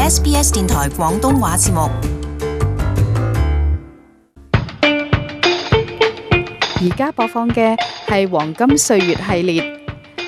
SBS 電台廣東話節目。而家播放嘅係黃金歲月系列，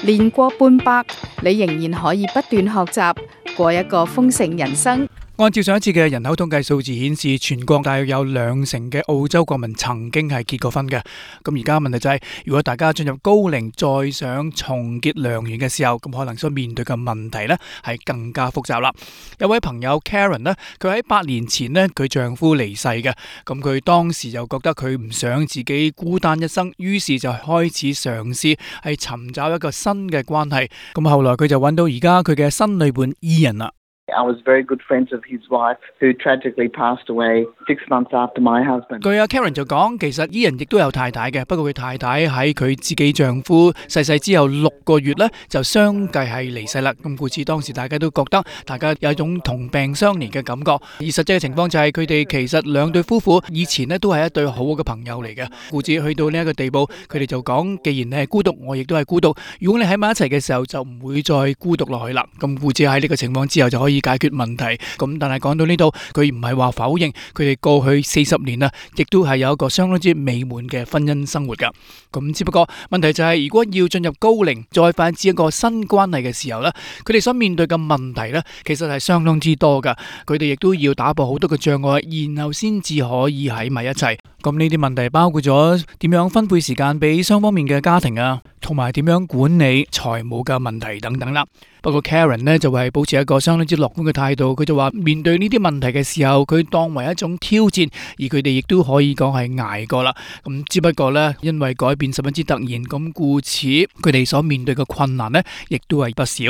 年過半百，你仍然可以不斷學習，過一個豐盛人生。按照上一次嘅人口統計數字顯示，全國大約有2成嘅澳洲國民曾經係結過婚嘅。咁而家問題就係，如果大家進入高齡再想重結良緣嘅時候，咁可能所面對嘅問題呢係更加複雜啦。有位朋友 Karen 呢，佢喺8年前呢，佢丈夫離世嘅，咁佢當時就覺得佢唔想自己孤單一生，於是就開始嘗試係尋找一個新嘅關係。咁後來佢就揾到而家佢嘅新女伴 Ian 啦。I was very good friends of his wife, who tragically passed away 6 months after my husband. 據阿 Karen 就講，其實Ian亦都有太太嘅，不過佢太太喺佢自己丈夫逝世之後6個月呢，就相繼係離世啦。咁故此當時大家都覺得大家有一種同病相憐嘅感覺，而實際嘅情況就係佢哋其實兩對夫婦以前呢都係一對好好嘅朋友嚟嘅。故此去到呢一個地步，佢哋就講，既然你係孤獨，我亦都係孤獨。如果你喺埋一齊嘅時候，就唔會再孤獨落去啦。咁故此喺呢個情況之後就可以解決問題。咁但係講到呢度，佢唔係話否認佢哋過去40年啊，亦都係有一個相當之美滿嘅婚姻生活噶。咁只不過問題就係，如果要進入高齡再發展一個新關係嘅時候呢，佢哋所面對嘅問題呢，其實係相當之多噶。佢哋亦都要打破好多嘅障礙，然後先至可以喺埋一齊。咁呢啲問題包括咗點樣分配時間俾雙方面嘅家庭啊，同埋點樣管理財務嘅問題等等啦。不過 Karen 呢就係保持一個相當之樂觀嘅態度，佢就話面對呢啲問題嘅時候，佢當為一種挑戰，而佢哋亦都可以講係捱過啦。咁只不過呢，因為改變十分之突然，咁故此佢哋所面對嘅困難呢，亦都係不少。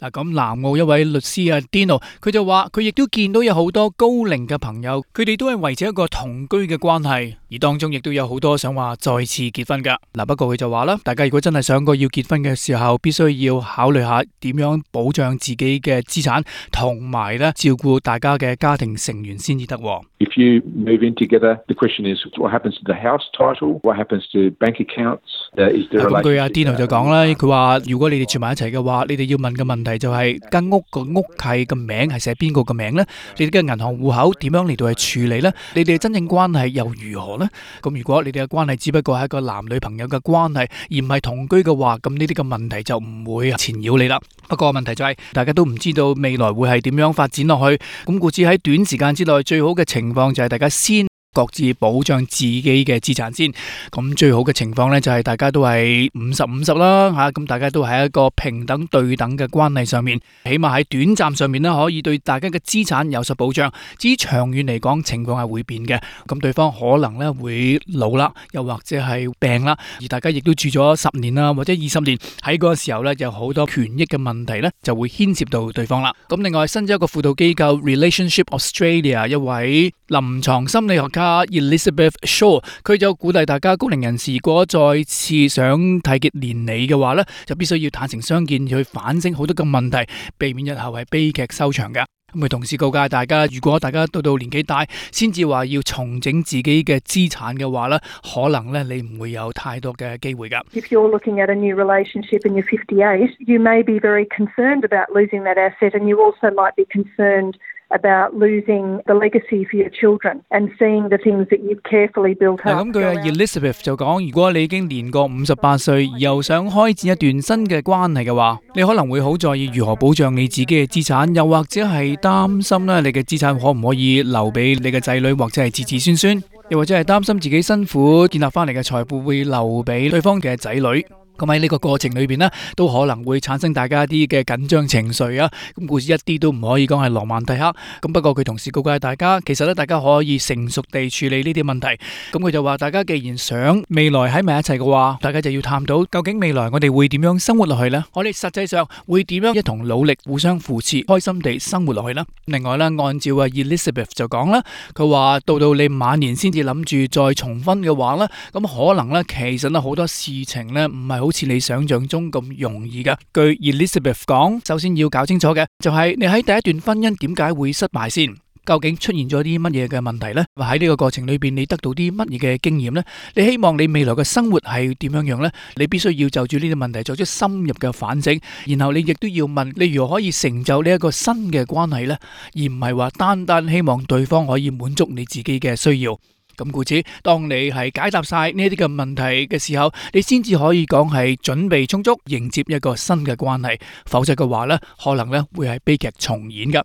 嗱，咁南澳一位律師啊 Dino， 佢就話佢亦都見到有好多高齡嘅朋友，佢哋都係維持一個同居嘅關係，而當中亦都有好多想話再次結婚噶。嗱，不過佢就話啦，大家如果真係想過要結婚嘅時候，必須要考慮下點樣保障自己嘅資產，同埋咧照顧大家嘅家庭成員先至得。If you move in together, the question is what happens to the house title, what happens to bank accounts, is there a relationship? 咁據阿 Dino 就講啦，佢話如果你哋住埋一齊嘅話，你哋要問嘅問題就係間屋個屋契嘅名係寫邊個嘅名呢？你哋嘅銀行戶口點樣嚟到去處理呢？你哋嘅真正關係又如何呢？咁如果你哋嘅關係只不過係一個男女朋友嘅關係，而唔係同居嘅話，咁呢啲嘅問題就唔會纏繞你啦。不過問題就係大家都唔知道未來會係點樣發展落去，咁故此喺短時間之內最好嘅情況就係大家先各自保障自己嘅資產先。咁最好嘅情況呢，就係大家都係50-50啦吓，咁大家都喺一個平等對等嘅關係上面，起碼喺短暫上面呢，可以對大家嘅資產有所保障。至於長遠嚟講，情況係會變嘅，咁對方可能呢會老啦，又或者係病啦，而大家亦都住咗10年啦，或者20年，喺嗰個時候呢，有好多權益嘅問題呢，就會牽涉到對方啦。咁另外新咗一個輔導機構 Relationship Australia 一位臨床心理學家Elizabeth Shaw， 佢就鼓勵大家高齡人士如果再次想締結連理嘅話呢，就必須要坦誠相見，去反省好多嘅問題，避免日後係悲劇收場嘅。咁佢同時告誡大家，如果大家到年紀大先至話要重整自己嘅資產嘅話呢，可能呢你唔會有太多嘅機會㗎。If you're looking at a new relationship and you're 58, you may be very concerned about losing that asset, and you also might be concerned about losing the legacy for your children and seeing the things that you've carefully built up. 咁佢Elizabeth 就講，如果你已經年過58歲，又想開展一段新嘅關係嘅話，你可能會好在意如何保障你自己嘅資產，又或者係擔心咧你嘅資產可唔可以留俾你嘅仔女或者係子子孫孫，又或者係擔心自己辛苦建立翻嚟嘅財富會留俾對方嘅仔女。咁喺呢個過程裏邊呢，都可能會產生大家一啲嘅緊張情緒啊。咁故事一啲都唔可以講係羅曼蒂克。咁不過佢同時告誡大家，其實咧大家可以成熟地處理呢啲問題。咁佢就話，大家既然想未來喺埋一齊嘅話，大家就要探討究竟未來我哋會點樣生活落去呢？我哋實際上會點樣一同努力，互相扶持，開心地生活落去呢？另外咧，按照Elizabeth 就講啦，佢話到你晚年先至諗住再重婚嘅話咧，咁可能咧其實咧好多事情咧唔係好似你想象中咁容易噶。據 Elizabeth 講，首先要搞清楚嘅就係你喺第一段婚姻點解會失敗先。究竟出現咗啲乜嘢嘅問題呢？喺呢個過程裏邊，你得到啲乜嘢嘅經驗呢？你希望你未來嘅生活係點樣樣呢？你必須要就住呢啲問題作出深入嘅反省，然後你亦都要問你如何可以成就呢一個新嘅關係呢？而唔係話單單希望對方可以滿足你自己嘅需要。咁故此，當你係解答晒呢啲嘅問題嘅時候，你先至可以講係準備充足迎接一個新嘅關係，否則嘅話呢，可能呢會係悲劇重演噶。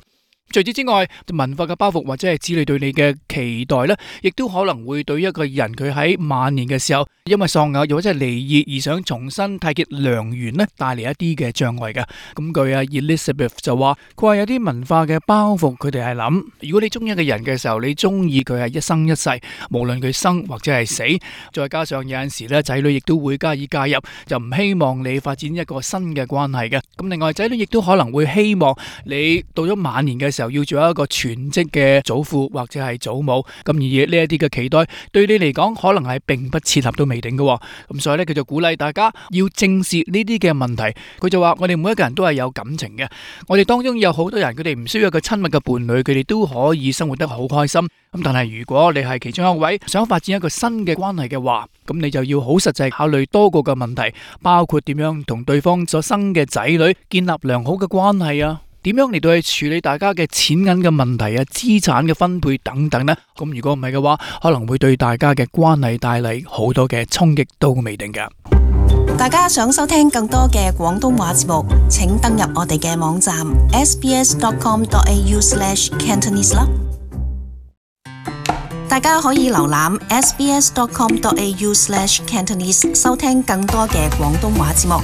除此之外，文化嘅包袱或者係子女對你嘅期待呢，亦都可能會對一個人佢喺晚年嘅時候，因為喪偶又或者係離異而想重新締結良緣呢，帶嚟一啲嘅障礙嘅。咁據阿 Elizabeth 就話，佢話有啲文化嘅包袱，佢哋係諗，如果你中意一個人嘅時候，你中意佢係一生一世，無論佢生或者係死。再加上有陣時呢，仔女亦都會加以介入，就唔希望你發展一個新嘅關係嘅。咁另外，仔女亦都可能會希望你到咗晚年嘅時候要做一個全職嘅祖父或者係祖母，咁而呢一啲嘅期待對你嚟講可能係並不切合都未定嘅。咁所以咧，佢就鼓勵大家要正視呢啲嘅問題。佢就話：我哋每一個人都係有感情嘅，我哋當中有好多人佢哋唔需要一個親密嘅伴侶，佢哋都可以生活得好開心。咁但係如果你係其中一位想發展一個新嘅關係嘅話，咁你就要好實際考慮多個嘅問題，包括點樣同對方所生嘅仔女建立良好嘅關係啊。點樣嚟到去處理大家嘅錢銀嘅問題啊、資產嘅分配等等呢？咁如果唔係嘅話，可能會對大家嘅關係帶嚟好多嘅衝擊都未定㗎。大家想收聽更多嘅廣東話節目，請登入我哋嘅網站 sbs.com.au/cantonese 啦。大家可以瀏覽 sbs.com.au/cantonese 收聽更多嘅廣東話節目。